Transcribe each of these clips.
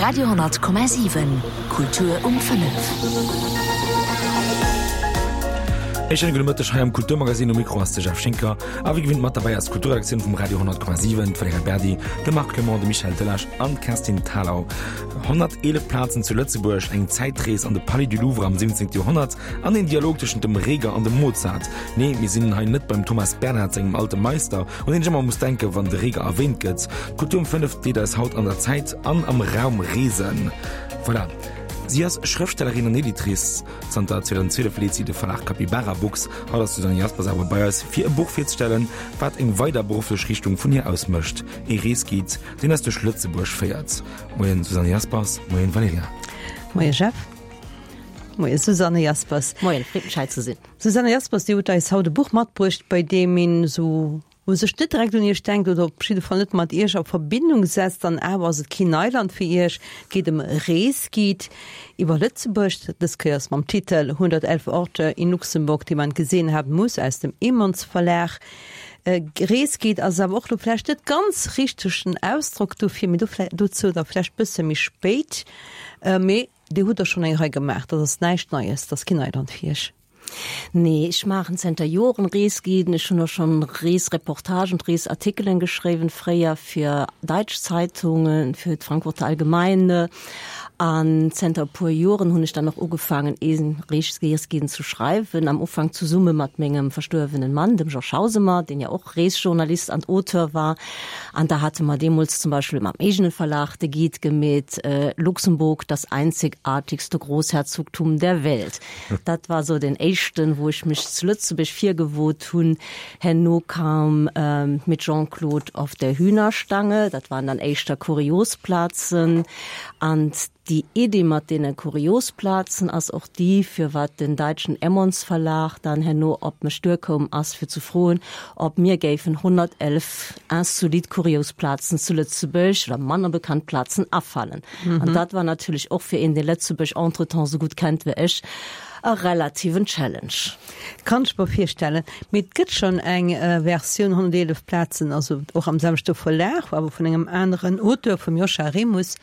Radio,7 Kultur um 5. E schéine gudde Mëtteg hei am Kulturmagazin. Um Mikro ass de Jeff Schinker. A wéi gewinnt mat derbäi ass d'Kulturredaktioun vum Radio 10,7, d'Valerija Berdi, de Marc Clement, de Michel Delage an d'Kerstin Thalau. 111 Plazen zu Lëtzebuerg, eng Zäitrees an de Palais du Louvre am 17. Joerhonnert an een Dialog tëschent dem Reger an dem Mozart. Nee, mir sinn hei net beim Thomas Bernhard sengem Alte Meister, un deen ech ëmmer muss denken, wann de Reger erwähnt gëtt. D'Kultur um 5 deet eis haut an der Zäit an am Raum reesen. Voilà. Si ass Schrëftstellerin an Editrice. Zanter 2012 leet si de Verlag Capybara Books. Haut ass d'Susanne Jaspers awer bei eis, fir e Buch virzestellen, wat eng weider berufflech Richtung vun hir ausmécht, ee Reesguide, deen eis duerch Lëtzebuerg féiert. Moien Susanne Jaspers, moien Valerija. Moie Jeff. Moie Susanne Jaspers. Moien, freet mech hei ze sinn. Susanne Jaspers, Dir hutt eis haut e Buch matbruecht, bei deem een esou u sech net direkt un Iech denkt oder op jidde Fall net mat Iech a Verbindung setzt, an awer ass et keen Neiland fir Iech. Et geet ëm e Reesguide iwwer Lëtzebuerg, dës Kéiers mam Titel 111 Orte in Luxemburg, die man gesehen haben muss aus dem Emons Verlag. Reesguide ass awer och lo vläicht net ganz richtegen Ausdrock dofir, mee do dozou da vläicht bësse méi spéit. Mee Dir hutt der schonn eng Rei gemaach, dat ass näischt Neies, dat ass keen Neiland fir Iech. Nee, ech maachen zënter Joren Reesguiden. Ech hunn och schonn Reesreportagen, Reesartikelen geschriwwen, fréier fir daitsch Zeitungen, fir d'Frankfurter Allgemeine. An zënter e puer Joren hunn ech dann och ugefaangen, ee Reesguiden ze schreiwen, am Ufank zesumme mat mengem verstuerwenen Mann, dem Georges Hausemer, deen jo och Reesjournalist an Auteur war. An da hate mer deemools zum Beispill mam eegene Verlag de Guide gemeet, Luxemburg, das einzigartigste Großherzogtum der Welt. Dat war sou den éischten, wou ech mech zu Lëtzebuerg virgewot hunn. Herno kam Mit Jean-Claude auf der Hühnerstange, dat waren dann éischter kurios Plazen. An déi Iddi mat deene kurios Plazen ass och déi, firwat den daitschen Emmons Verlag dann herno op mech duerkoum ass, fir ze froen, ob mir géifen 111 insolite kurios Plazen zu Lëtzebuerg oder manner bekannt Plazen afallen. An dat war natierlech och fir een, dee Lëtzebuerg entretemps esou gutt kennt wéi ech, e relativen Challenge. Kann ech mer virstellen. Mee et gëtt schonn eng Versioun 111 Plazen, also och am selwechte Verlag, awer vun engem aneren Auteur, vum Joscha Remus.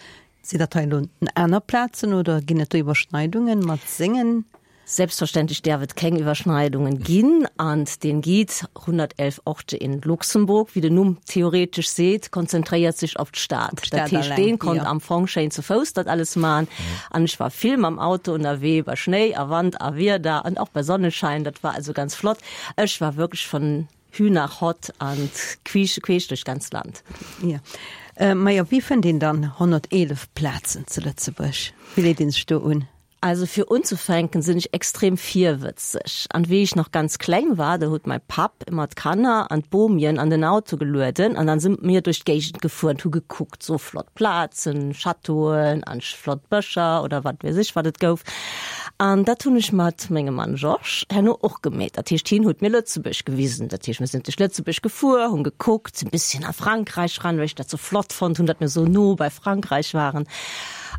Sinn dat hei elo aner Plazen oder ginn et do Iwwerschneidungen mat sengen? Selbstverständlech däerf et keng Iwwerschneidungen ginn an den Guide 111 Orte in Luxemburg, wéi den Numm theoretesch seet, konzentréiert sech op d'Stad. Dat heescht, deen konnt am Fong schéin zu Fouss dat alles man an ech war vill mam Auto ënnerwee bei Schnéi a Wand a Wieder an och bei Sonneschein, dat war also ganz flott. Ech war wierklech von Hü nach Hott an queesch queesch duerch d'ganzt Land. Jo. Majo, wéi fënnt een dann 111 Plazen zu Lëtzebuerg? Wéi leet een sech do un? Also fir unzufänken sinn ech extrem virwëtzeg. An wéi ech nach ganz kleng war, do huet mäi Papp ëmmer d'Kanner an d'Bomien an den Auto gelueden an dann si mir duerch d'Géigend gefuer an hu gekuckt, sou flott Plazen, Châteauen an flott Bëscher oder wat weess ech wat et gouf. An dat hunn ech mat mengem Mann Georges herno och gemeet. Dat heescht hien huet mir Lëtzebuerg gewisen. Dat heescht mir sinn duerch Lëtzebuerg gefuer, hunn gekuckt, sinn bësschen a Frankräich ran, well ech dat sou flott fonnt hunn, datt mir sou no bei Frankräich waren.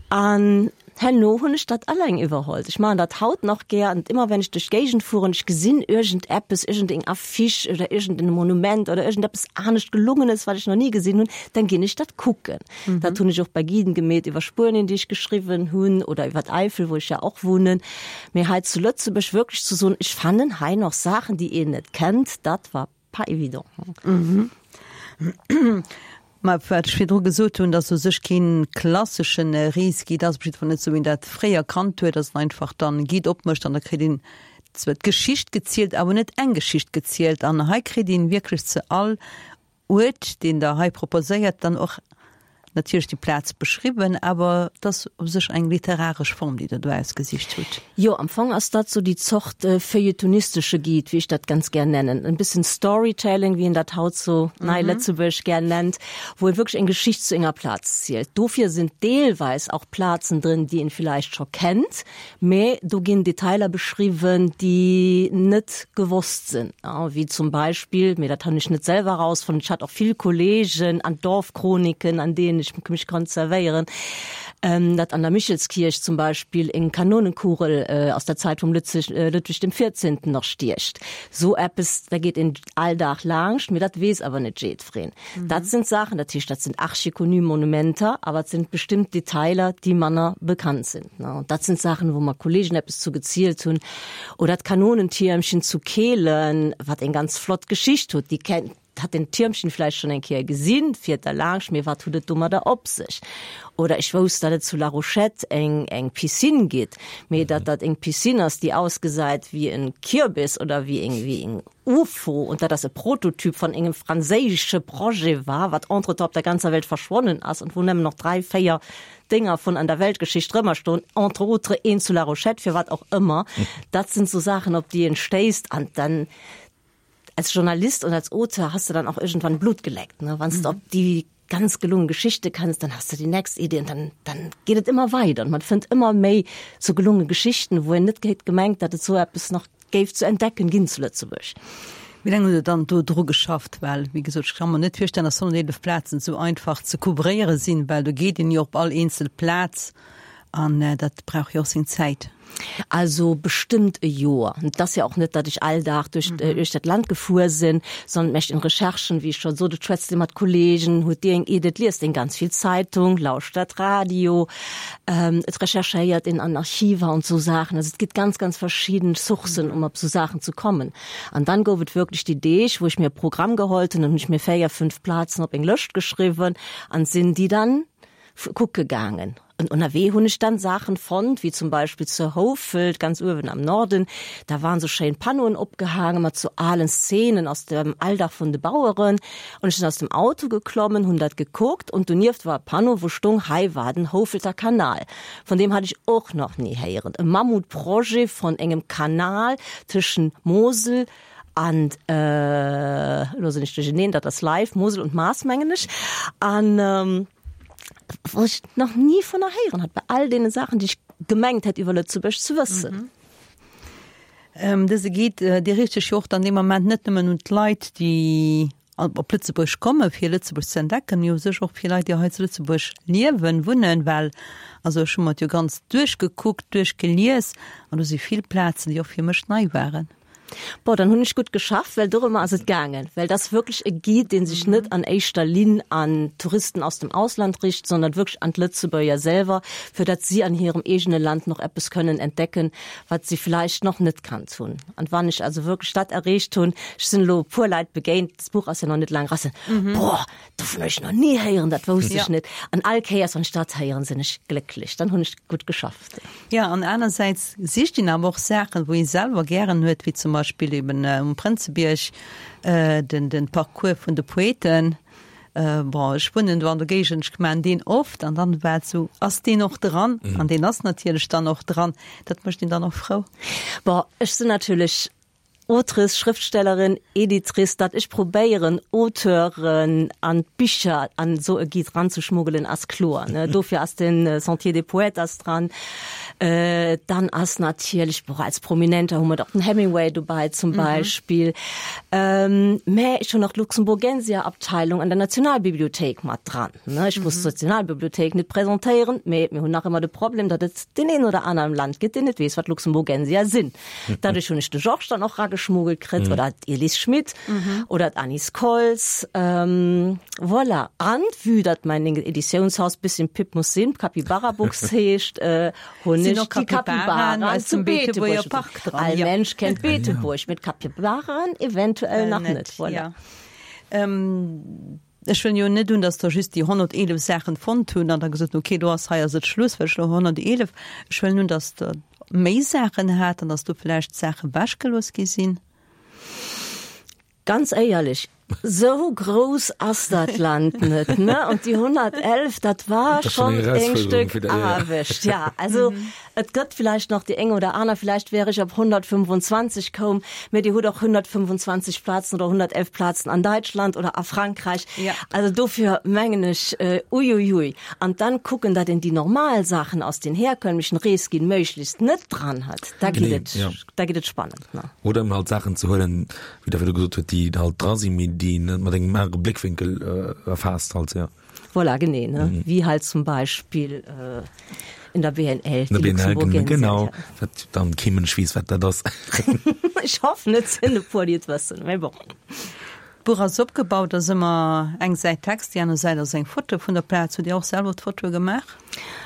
An Herno hunn ech dat alleng iwwerholl. Ech maachen dat haut nach gär an ëmmer wenn ech duerch d'Géigend fueren, ech gesinn iergendeppes, iergendeng Affiche oder iergendeng Monument oder iergendeppes anescht Gelungenes, wat ech nach ni gesinn hunn, dann ginn ech dat kucken. Dat hunn ech och bei Guiden gemeet iwwer Spuenien, déi ech geschriwwen hunn oder iwwer d'Eifel, wou ech ja och wunnen. Mee hei zu Lëtzebuerg wierklech ze soen, ech fannen hei nach Saachen, déi een net kennt, dat war Pas évident. Mä wat ech virdru gesot hunn, datt u sech kee klassesche Reesguide ass, op jiddwer Fall net esou wéi een dat fréier kannt huet, datt een einfach dann e Guide opmécht an da kritt een zwar d'Geschicht gezielt, awer net eng Geschicht gezielt. An hei kritt een wierklech zu all Uert, deen Der hei proposéiert, dann och natierlech déi Plaz beschriwwen, awer et ass u sech eng literaresch Form, déi Der do ausgesicht hutt. Jo, am Fong ass dat sou déi Zort feuilletonistesche Guide, wéi ech dat ganz gär nennen. En bëssen Storytelling, wéi een dat haut sou nei lëtzebuergesch gär nennt, wou ee wierklech eng Geschicht zu enger Plaz zielt. Dofir sinn deelweis och Plazen drin, déi een villäicht scho kennt, Mee do ginn Detailer beschriwwen, déi net gewosst sinn, wéi zum Beispill, mee dat hunn ech net selwer erausfonnt, ech hat och vill Kolleegen an Dorfchroniken, an deenen ech mech konnt zerwéieren. Datt an der Michelskierch zum Beispill eng Kanonenkugel aus der Zäit vum Ludwig dem Vierzehnten nach stiecht. Sou eppes, da geet een all Dag laanscht, mee dat weess awer net jiddwereen. Dat sinn d'Saachen, dat heescht, dat sinn archiconnu Monumenter, awer et sinn bestimmt Detailer, déi manner bekannt sinn. An dat sinn d'Saachen, wou mer Kollegen eppes zu gezielt hunn. Oder d'Kanonentiermchen zu Kehlen, wat eng ganz flott Geschicht huet. Déi kennt, hat den Tiermchen vläicht schonn eng Kéier gesinn, fiert da laanscht, mee wat huet et domadder op sech? Oder ech wousst, datt et zu La Rochette eng, eng Piscine gitt, mee datt dat eng Piscine ass, déi ausgesäit wéi en Kürbis oder wéi eng, wéi eng Ufo und datt ass e Prototyp von engem franséische Projet war, wat entretemps op der ganzer Welt verschwonnen ass und wou nëmmen noch 3, 4 Dénger vun an der Weltgeschicht rëmmer stoen, entre autres een zu La Rochette, firwat och ëmmer. Dat sinn sou Saachen, op déi een stéisst an dann als Journalist und als Auteur hast du dann auch irgendwann Blut geleckt, ne? Wann s de op déi ganz gelungen Geschichte kënns, dann hast du die nächst Idee und dann, dann geet et ëmmer weider und man fënnt ëmmer méi sou gelunge Geschichten, wou een net hätt gemengt, datt et sou eppes nach géif ze entdecken ginn zu Lëtzebuerg. Wéi laang hutt Der dann do dru geschafft? Well, wéi gesot, ech ka mer net virstellen, datt 111 Plazen esou einfach ze couvréiere sinn, well do geet een jo op all eenzel Plaz an dat brauch jo och seng Zäit. Also bestëmmt e Joer. Et ass jo och net, datt ech all Dag duerch duerch dat Land gefuer sinn, sondern et mécht een Recherchen, wéi ech scho sot, et schwätzt ee mat Kollegen, huet déi eng Idee, et liest een ganz vill Zeitung, lauschtert Radio. Et recherchéiert een an Archiver und sou Saachen. Also et gëtt ganz, ganz verschidden Sourcen, um op sou Saachen ze kommen. An dann gouf et wierklech déi Deeg, wou ech mir e Programm geholt hunn, dann hunn ech mir 4, 5 Plazen op eng Lëscht geschriwwen an sinn déi dann kucke gaangen. An ënnerwee hunn ech dann Saachen fonnt, wéi zum Beispill zu Houfelt, ganz uewen am Norden, da waren sou schéin Panneauen opgehaangen mat sou alen Szenen aus dem Alldag vun de Baueren. An ech sinn aus dem Auto geklommen, hunn dat gekuckt und donieft war e Panneau, wou stung, Hei war den Houfelter Kanal. Von deem hat ech och nach ni héieren. E Mammutprojet von engem Kanal tëschent Mosel an, elo sinn ech duercheneen, dat ass live, Mosel und Maas, mengen ech. An wou ech nach ni vunner héieren hat, bei all deene Saachen, déi ech gemengt hätt iwwer Lëtzebuerg ze wëssen. Dëse Guide, dee riicht sech jo och dann dee Moment net nëmmen un d'Leit, déi op Lëtzebuerg komme fir Lëtzebuerg ze entdecken, mee u sech och fir Leit, déi hei zu Lëtzebuerg liewen, wunnen, well also ech hu mer et jo ganz duerchgekuckt, duerchgelies an do si vill Plazen, déi och fir mech nei waren. Bon, dann hunn ech gutt geschafft, well dorëmmer ass et gaangen. Well et ass wierklech e Guide, dee sech net an éischter Linn an Touristen aus dem Ausland richt, sondern wierklech an d'Lëtzebuerger selwer, fir datt si an hirem eegene Land nach eppes kënnen entdecken, wat si vläicht nach net kannt hunn. An wann ech also wierklech dat erreecht hunn, ech sinn elo e puer Leit begéint, d'Buch ass jo nach net laang eraus, Boah, dovun hu ech nach ni héieren, dat wousst ech net. An all Kéiers, wann ech dat héieren, sinn ech glécklech, dann hunn ech gutt geschafft. Jo, an anersäits sicht een awer och Saachen, wou ee selwer gären huet, wéi zum Beispill eben um Prënzebierg den den Parcours vun de Poeten. Bon, ech wunnen do an der Géigend, ech man deen oft an dann war et sou, ass deen och dran? An deen ass natierlech dann och dran. Dat mécht een dann och frou. Bon, ech sinn natierlech Autrice, Schrëftstellerin, Editrice, datt ech probéieren Auteuren an d'Bicher an esou e Guide ranzeschmuggelen ass kloer, ne. Dofir ass den Sentier des Poètes ass dran. Dann ass natierlech, bon, als Prominenter hu mer och den Hemingway dobäi zum Beispill. Mä ech hunn och d'Luxemburgensia-Abteilung an der Nationalbibliothéik mat dran, ne. Ech muss d'Nationalbibliothéik net presentéieren, mä mir hunn nach ëmmer de Problem, datt et deen een oder aner am Land gëtt, deen net weess, wat Luxemburgensia sinn. Dadurch hunn ech de Georges dann och rageschmuggelt kritt mhm. oder d'Elis Schmidt mhm. oder d'Anis Kolz. Ähm, voilà. An vue dat mein Editiounshaus bisschen Pip muss sinn, Capybara Books heescht, äh, hunn ech die Capybara zum Beetebuerger Park dran. All ja. Mensch kennt Beetebuerg mit Capybaren eventuell äh, nach net. Voilà. Ja. Ähm, Ech huelen jo net un, datt Der just déi 111 Saachen fonnt hunn an da gesot hunn, okay, do ass, hei ass et Schluss, well ech elo 111. Ech huelen un, datt Der méi Saachen hat an datt do vläicht Saache wechgelooss gi sinn. Ganz éierlech, esou grouss ass dat Land net, ne? An déi 111, dat war schonn eng Stéck Aarbecht, ja. Also Et gëtt villäicht nach déi eng oder aner, villäicht wär ech op 125 koum, mä Dir hutt och 125 Plazen oder 111 Plazen an Däitschland oder a Frankräich. Ja. Also dofir mengen ech, uiuiui. An dann kucken, datt een déi normal Saachen aus den herkömmlichen Reesguiden méiglechst net dran hat, da geet et, ja. da geet et spannend, ne? Oder eben halt Saachen ze huelen, wéi Der virdu gesot hutt, déi halt dra sinn, mee déi een net mat engem anere Bléckwénkel erfaasst halt, ja. Voilà, genee, ne? Mhm. Wéi halt zum Beispill äh, in der BNL. In der BNL, genau. Wat dann kee Mënsch weess, wat dat ass. Ech hoffen, et sinn e puer, déi et wëssen, mee bon. D'Buch ass opgebaut, ass ëmmer eng Säit Text, déi aner Säit ass eng Foto vun der Plaz. Hutt Dir och selwer d'Fotoe gemaach?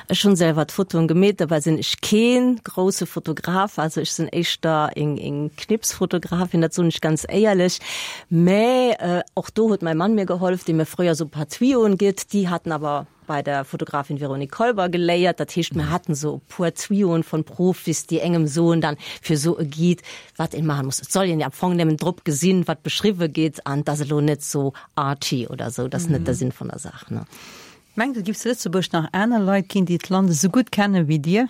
Ech hunn selwer d'Fotoen gemeet, dobäi sinn ech keen grousse Fotograf, also ech sinn éischter eng eng Knipsfotografin, dat soen ech ganz éierlech. Mä och do huet mäi Mann mir gehollef, dee mir fréier sou e paar Tuyauxen gitt, déi haten awer bei der Fotografin Véronique Kolber geléiert. Dat heescht, mir haten sou e puer Tuyauxen von Profis, déi engem soen dann fir sou e Guide, wat een maachen muss. Et soll een jo am Fong nëmmen drop gesinn, wat beschriwwe gétt an et ass elo net sou arty oder sou, dat ass net de Sinn vun der Saach, ne. Mengt Der, et giff zu Lëtzebuerg nach aner Leit ginn, déi d'Land esou gutt kennen wéi Dir?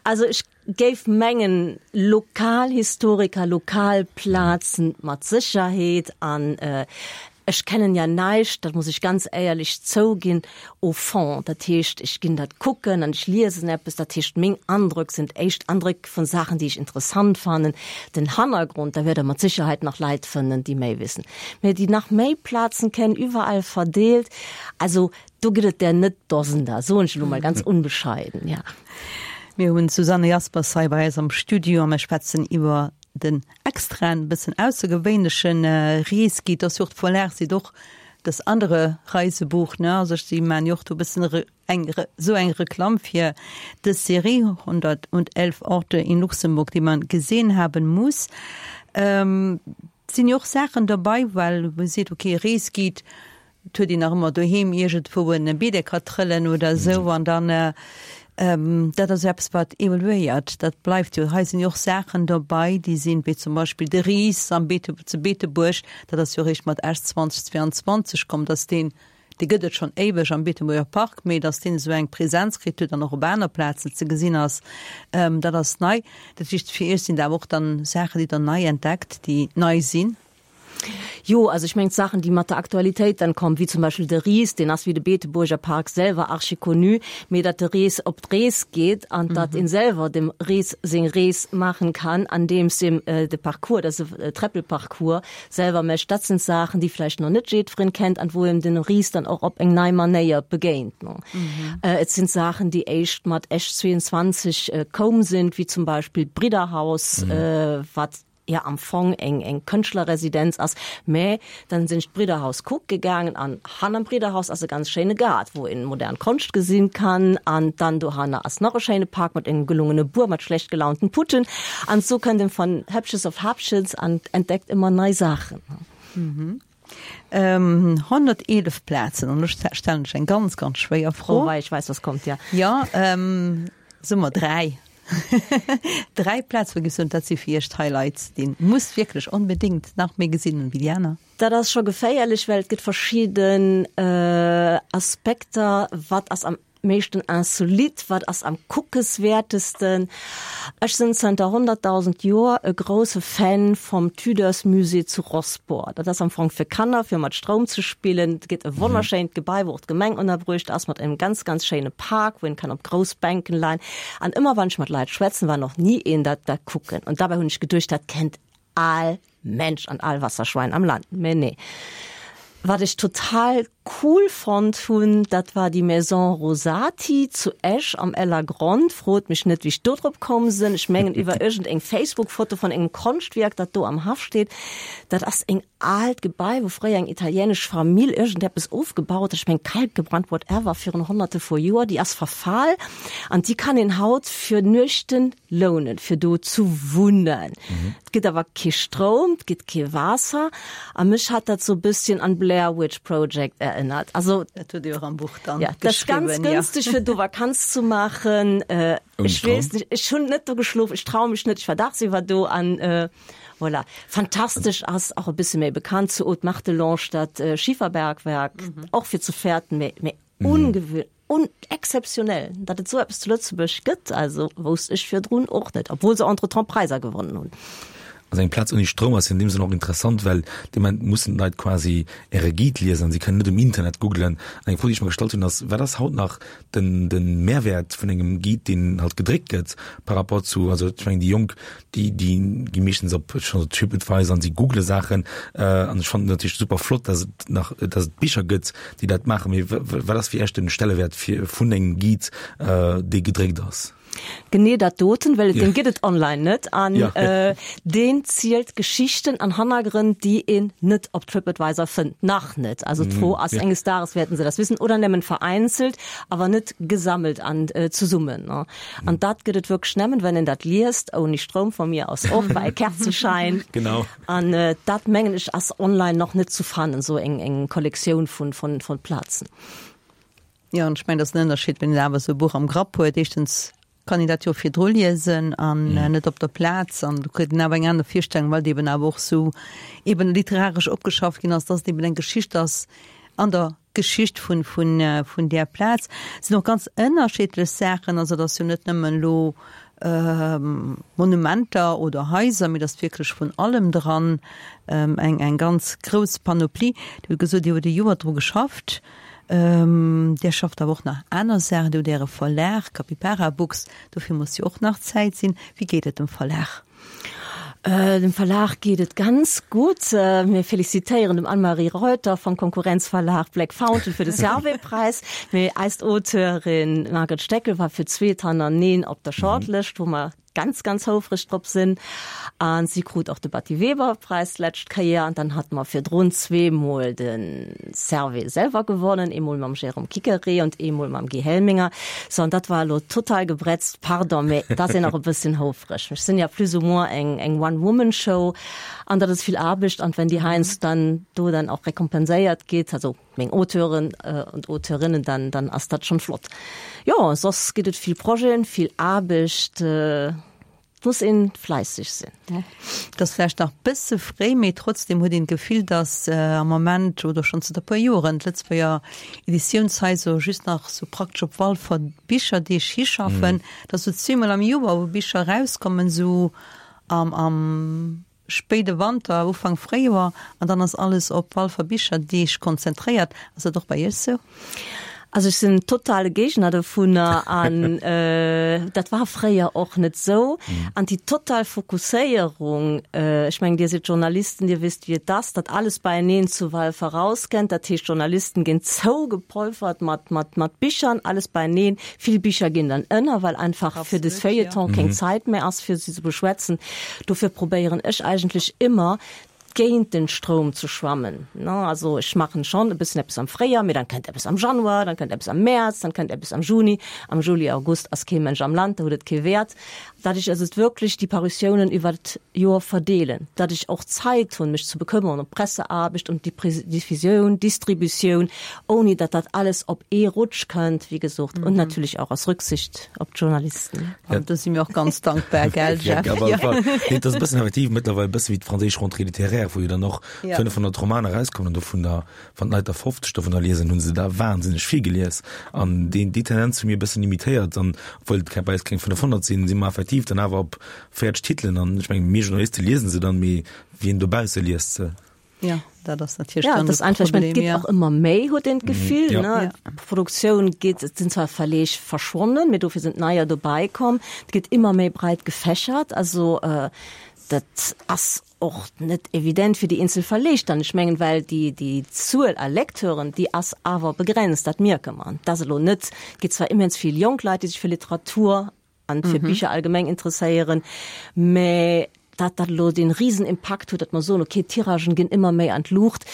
Also ech géif mengen, Lokalhistoriker, Lokalplazen mat Sécherheet an ech kennen ja näischt, dat muss ech ganz éierlech zouginn, au fond. Dat heescht, ech ginn dat kucken an ech liesen eppes, dat heescht, meng Andröck sind éischt Andréck vun Saachen, déi ech interessant fannen. Den Hannergrond, da wäert Der mat Sicherheit nach Leit fënnen, déi méi wissen, mä déi nach méi Plazen kennen, iwwerall verdeelt. Also Do gëtt et der net Dosender, soen ech elo mol ganz unbescheiden, ja. Mir hunn d'Susanne Jaspers hei bei eis am Studio a mir schwätzen iwwer den extraen, bëssen aussergewéinleche Reesguide. Ass jo och d'Verlag seet och das andere Reisebuch, ne? Also si man jo och do e bëssen eng esou eng Reklamm fir dës Serie 111 Orte in Luxemburg, die man gesehen haben muss. Et sinn jo och Saachen derbei, well wou ee seet, okay, Reesguide, Et huet een nach ëmmer doheem iergendwou en Beedecker trëllen oder esou an dann, dat ass jo eppes wat evoluéiert, dat bleift jo. Hei sinn jo och Saachen dobei, déi sinn, wéi zum Beispill de Ris am Beete, zu Beetebuerg, dat ass jo eréischt mat Esch 2022 komm, datt deen, dee gëtt et schonn éiweg am Beetebuerger Park, mee datt deen esou eng Präsenz kritt huet an och op aner Plazen ze gesinn ass, dat ass nei. Dat heescht, fir Iech sinn dat awer och dann Saachen, déi Der nei entdeckt, déi nei sinn. Jo, also ech mengen d'Saachen, déi mat der Aktualitéit dann kommen, wéi zum Beispill de Ris, deen ass wéi de Beetebuerger Park selwer archi-connu, mee datt de Ris op d'Rees geet an datt een selwer dem Ris seng Rees maachen kann, andeems em de Parcours, dat ass e Tréppelparcours, selwer mécht, dat sinn Saachen, déi vläicht nach net jiddwereen kennt an wou em den Ris dann och op eng nei Manéier begéint. Et sinn Saachen, déi éischt mat Esch 22 koum sinn, wéi zum Beispill d'Bridderhaus, wat jo am Fong eng eng Kënschtlerresidenz ass, mä dann sinn ech d'Bridderhaus kucke gaangen an hannerm Bridderhaus ass e ganz schéine Gaart, wou een modern Konscht gesinn kann an dann dohanner ass nach e schéine Park mat engem gelungene Buer mat schlecht gelaunten Putten an esou kënnt een von Häppches auf Häppchens an entdeckt ëmmer nei Saachen. 111 Plazen, an elo stellen ech eng ganz, ganz schwéier Fro. Oh wei, ech weess, was kommt, ja. Jo, soe mer 3. 3 Plazen, wou giffs soen, dat si fir iech d'Highlights, déi een muss wierklech onbedéngt nach méi gesinn wéi déi aner? Dat ass scho geféierlech, well et gëtt verschidden Aspekter, wat ass am meeschten insolite, wat ass am kuckeswäertesten? Ech sinn zënter 100.000 Joer e grousse Fan vum Tudors Musée zu Rosport. Dat ass am Fong fir Kanner, fir mat Stroum ze spillen. Et gëtt e wonnerschéint Gebai, wou och d'Gemeng ënnerbruecht ass, mat engem ganz, ganz schéine Park, wou een kann op grouss Bänken leien. An ëmmer wann ech mat Leit schwätzen, war nach ni een dat da kucken. An dabei hunn ech geduecht, dat kennt al Mensch an al Wasserschwein am Land. Mä nee. Wat ech total cool fonnt hunn, dat war déi Maison Rosati zu Esch am Ellergronn. Frot mech net, wéi ech do drop komm sinn. Ech mengen iwwer iergend eng Facebook-Foto vun engem Konschtwierk, dat do am Haff steet. Dat ass eng aalt Gebai, wou fréier eng italienesch Famill iergendeppes ofgebaut huet, ech mengen Kalk gebrannt, whatever, virun honnerte vu Joer. Déi ass verfal an déi kann een haut fir Nuechten lounen, fir do zu wunnen. Et gëtt awer kee Stroum, et gëtt kee Waasser a mech hat dat sou e bësschen an Blair Witch Project erënnert. Also Dat hutt Dir och am Buch dann ja, dat ass ganz geschriwwen, ja. günstig fir do Vakanz zu maachen. Äh, Ouni ech weess Stroum? nicht, ech hunn net do geschlof, ech traue mech net, ech war dagsiwwer do an äh, voilà. Fantastesch ass och e bësse méi bekannt zu Haut-Martelange dat äh, Schiferbergwerk, och fir ze fäerten, mee, mee ungewöhnlich. Un exzeptionell, datt et esou eppes zu Lëtzebuerg gëtt, also wousst ech virdrun och net, obwuel se entretemps Präiser gewonnen hunn. Also eng Plaz ouni Stroum ass jo an deem Sënn och interessant, well dee Moment mussen d'Leit quasi Äre Guide liesen an si kënnen net um Internet googlen. An eng Fro, déi ech mer gestallt hunn, ass, Wat ass haut nach den, de Mehrwäert vun engem Guide, deen halt gedréckt gëtt par rapport zu, also ech mengen déi Jonk, déi, déi gi meeschtens op scho TripAdvisor an si googele Saachen. An ech fannen et natierlech super flott, dass et nach, dass et Bicher gëtt, déi dat maachen. Mee wat ass fir Iech den Stellewäert fir, vun engem Guide, dee gedréckt ass? Genee dat doten, well deen gëtt et online net an deen zielt Geschichten an Hannergrënn, déi een net op TripAdvisor fënnt, nach net. Also d'Fro ass, enges Dages wäerten se das wissen oder nëmmen vereinzelt, awer net gesammelt an zesummen. An dat gëtt et wierklech nëmmen, wenn een dat liest, ouni Stroum, vu mir aus och bei Kerzeschein. Genau. An dat mengen ech ass online nach net zu fannen, esou eng Kollektioun vun Plazen. Jo, an ech mengen, dat ass en Ënnerscheed, wann een awer esou e Buch am Grapp huet. Éischtens kann een dat jo virdru liesen an net op der Plaz an do kritt een awer eng aner Virstellung, well et eben awer och esou eben literaresch opgeschafft ginn ass, dass et eben eng Geschicht ass an der Geschicht vun, vun, vun där Plaz. Et sinn och ganz ënnerschiddlech Saachen, also et ass jo net nëmmen elo Monumenter oder Haiser, mee et ass wierklech vun allem dran, eng, eng ganz grouss Panoplie. Dir hutt gesot, Dir hutt e Joer dru geschafft. Dir schafft awer och nach aner Saachen, Dir hutt Äre Verlag Capybara Books, dofir muss jo och nach Zäit sinn. Wéi geet et dem Verlag? Dem Verlag geet et ganz gutt. Mir felicitéieren dem Anne-Marie Reuter vum Konkurrenzverlag Black Fountain fir de Servais-Präis. Mee eis Auteurin Margret Steckel war fir d'zweet hannerneën op der Shortlëscht, wou mer ganz ganz houfreg drop sinn an si krut och de Batty Weber Preis d'lescht Kéier an dann hat mer virdrun zweemol de Servais selwer gewonnen, eemol mam Jérôme Quiqueré und eemol mam Guy Helminger. So an dat war elo total gebretzt, pardon, mä dat sinn och e bësschen houfreg. Ech sinn ja plus ou moins eng eng One-Woman-Show an dat ass vill Aarbecht an wenn déi heiansdo dann do dann och rekompenséiert gétt, also meng Auteuren und Auteurinnen, dann, dann ass dat schon flott. Jo, soss gëtt et vill Projeten, vill Aarbecht, et muss een fläisseg sinn. Et ass vläicht nach bësse fréi, mee trotzdem huet een d'Gefill, datt am Moment oder schonn zënter e puer Joren d'Lëtzebuerger Editiounshaiser just nach sou praktesch op Walfer Bicherdeeg hischaffen, datt sou zweemol am Joer, wou Bicher erauskommen, sou am, am Spéide Wanter, Ufank Fréijoer an dann ass alles op Walfer Bicherdeeg konzentréiert. Ass dat och bei Iech sou? Also ech sinn totale Géigner dovunner an dat war fréier och net sou. An déi total Fokusséierung, ech mengen Dir sidd Journalisten, Dir wisst wéi et ass, datt alles beieneen zu Walfer rauskennt. Dat heescht Journalisten ginn zougepolfert mat mat mat Bichern, alles beieneen. Vill Bicher ginn dann ënner, well einfach fir de Feuilleton keng Zait méi ass fir se ze beschwätzen. Dofir probéieren ech eigentlech ëmmer, géint den Stroum ze schwammen. Also ech maachen schonn e bëssen eppes am Fréijoer, mee dann kënnt eppes am Januar, dann kënnt eppes am Mäerz, dann kënnt eppes am Juni. Am Juli, August ass kee Mënsch am Land, do huet et kee Wäert. Datt ech also wierklech déi Parutiounen iwwer d'Joer verdeelen, datt ech och Zäit hunn, mech ze bekëmmeren ëm d'Presseaarbecht, ëm d'Diffusioun, Distributioun, ouni datt dat alles op ee Rutsch kënnt, wéi gesot, und natürlich auch aus Rücksicht op d'Journalisten. An do si mir och ganz dankbar, gell, Jeff? Ja, op alle Fall. Nee, dat ass e bëssen effektiv mëttlerweil e bësse wéi d'franséisch Rentrée littéraire, wou jo dann och 500 Romaner erauskommen an dovun der, wann d'Leit der 50 dovunner liesen, hu se der wahnsinneg vill gelies. An deen, déi Tendenz hu mir e bëssen imitéiert an obwuel et bei eis keng 500 sinn, si mer effektiv dann awer op 40 Titelen an ech mengen, mir Journaliste liese se dann, mee wien dobausse liest se? Ja, dat ass natierlech ja, dann das de einfach, ich mein, Problem, et geet ja. och ëmmer méi, huet een d'Gefill, Ja. ne? Ja. D'Produktioun geet, et sinn zwar Verleeg verschwonnen, mee dofir sinn neier dobäi komm. Et geet ëmmer méi breit gefächert, also äh, dat ass och net evident fir déi eenzel Verleeg dann. Ech mengen, well déi, déi Zuel a Lecteuren, déi ass awer begrenzt, dat mierke mer. Dat ass elo net, et gi zwar immens vill jonk Leit, déi sech fir Literatur an fir Bicher allgemeng interesséieren, mä dat dat elo dee Risenimpakt huet, datt mer soen, okay, d'Tiragen ginn ëmmer méi an d'Luucht,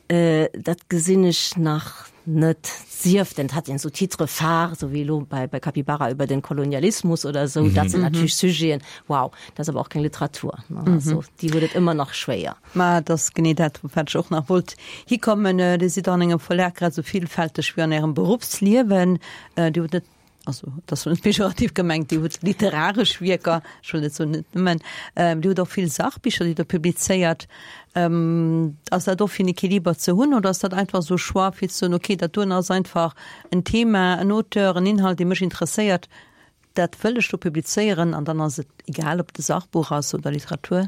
dat gesinn ech nach net. Sief denn, et hat een esou Titres phares, esou wéi elo bei bei Capybara über den Kolonialismus oder esou, dat sinn natierlech Sujeten, wow, dat ass awer och keng Literatur, ne, also déi huet et ëmmer nach schwéier. Mä et ass genee dat, op wat ech och nach wollt hikommen. Dir sidd an engem Verlag grad esou villfälteg wéi an Ärem Beruffsliewen. Dir hutt net also dat ass net pejorativ gemengt, Dir hutt literaresch Wierker, ech wëll net soen net nëmmen, Dir hutt och vill Sachbicher, déi Der publizéiert. Ass dat och fir en Equiliber ze hunn oder ass dat einfach esou e Choix fir ze soen, okay, dat doen ass einfach en Thema, en Auteur, en Inhalt, dee mech interesséiert? dat wëll ech do publizéieren an dann ass et egal, ob et e Sachbuch ass oder Literatur?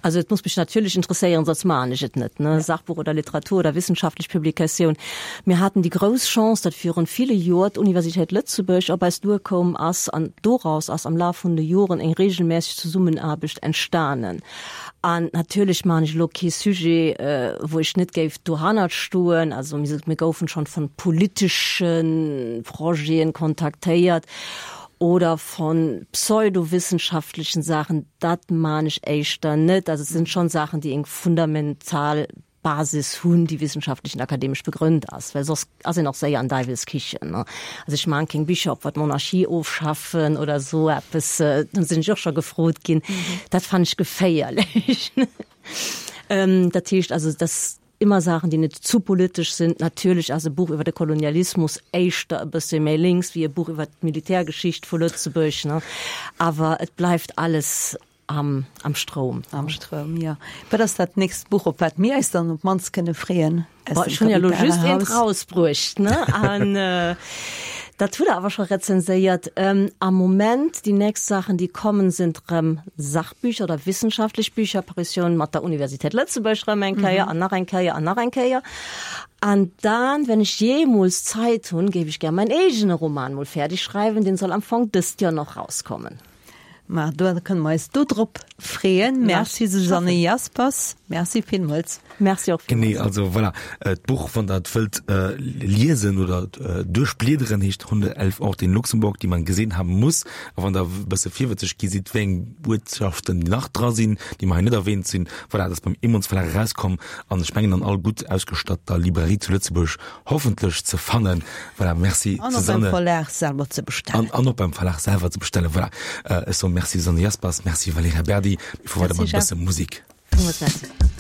Also et muss mech natierlech interesséieren, soss maachen ech et net, ne, Sachbuch oder Literatur oder wissenschaftlech Publikatioun. Mir haten déi grouss Chance, datt virun ville Joer d'Universitéit Lëtzebuerg op eis duerkoum ass an doraus ass am Laf vun de Joren eng regelmässeg Zesummenaarbecht entstanen. An natierlech maachen ech elo kee Sujet, wou ech net géif dohannert stoen. Also mir goufen schonn vun politesche Projeten kontaktéiert oder von pseudowissenschaftlechen Saachen. Dat maan ech éischter net. Also et sinn schonn Saachen, déi eng fundamental Basis hunn, déi wissenschaftlech an akademesch begrënnt ass, well soss ass een och séier an Deiwelskichen, ne. Also ech maan keng Bicher, ob mer d'Monarchie ofschaffen oder esou eppes, do sinn ech och scho gefrot ginn. Dat fannen ech geféierlech. Dat heescht also, dass immer Saachen, déi net zu politesch sinn. Natierlech ass e Buch iwwer de Kolonialismus éischter e bësse méi lénks wéi e Buch iwwer d'Militärgeschicht vu Lëtzebuerg, ne. Awer et bleift alles am, am Stroum. Am Stroum, jo. Wat ass dat nächst Buch, op wat mir eis dann op d'mannst kënne freeën? Boah, ech hunn ja elo just eent rausbruecht, ne? An dat hutt Der awer scho rezenséiert. Am Moment, déi nächst Saachen, déi kommen, sind rëm Sachbücher oder wissenschaftlech Bücher, Parution mat der Universität Lëtzebuerg rëm eng Kéier an nach eng Kéier an nach eng Kéier. An dann, wenn ech jeemools Zait hunn, géif ech gär mäin eegene Roman mol fäerdeg schreiwen. Deen soll am Fong dëst Joer nach rauskommen. Ma do kënne mer eis do drop freeën. Merci Susanne Jaspers, Merci villmools. Merci och villmools. Genee, also voilà, d'Buch, wann Der et wëllt liesen oder duerchbliederen, heescht 111 Orte in Luxemburg, die man gesehen haben muss. A wann Der e bësse virwëtzeg gi sidd, wéi eng Uertschaften nach dra sinn, déi mer hei net erwähnt sinn, voilà, dat ass beim Emons Verlag erauskomm an ech mengen an all gutt ausgestatter Librairie zu Lëtzebuerg hoffentlech ze fannen. Voilà, merci An och beim Verlag selwer ze bestellen. An, an och beim Verlag selwer ze bestellen. Voilà. Äh, ech soen Merci Susanne Jaspers, Merci Valerija Berdi. Mir fuere weider mat e bësse Musik. Villmools Merci.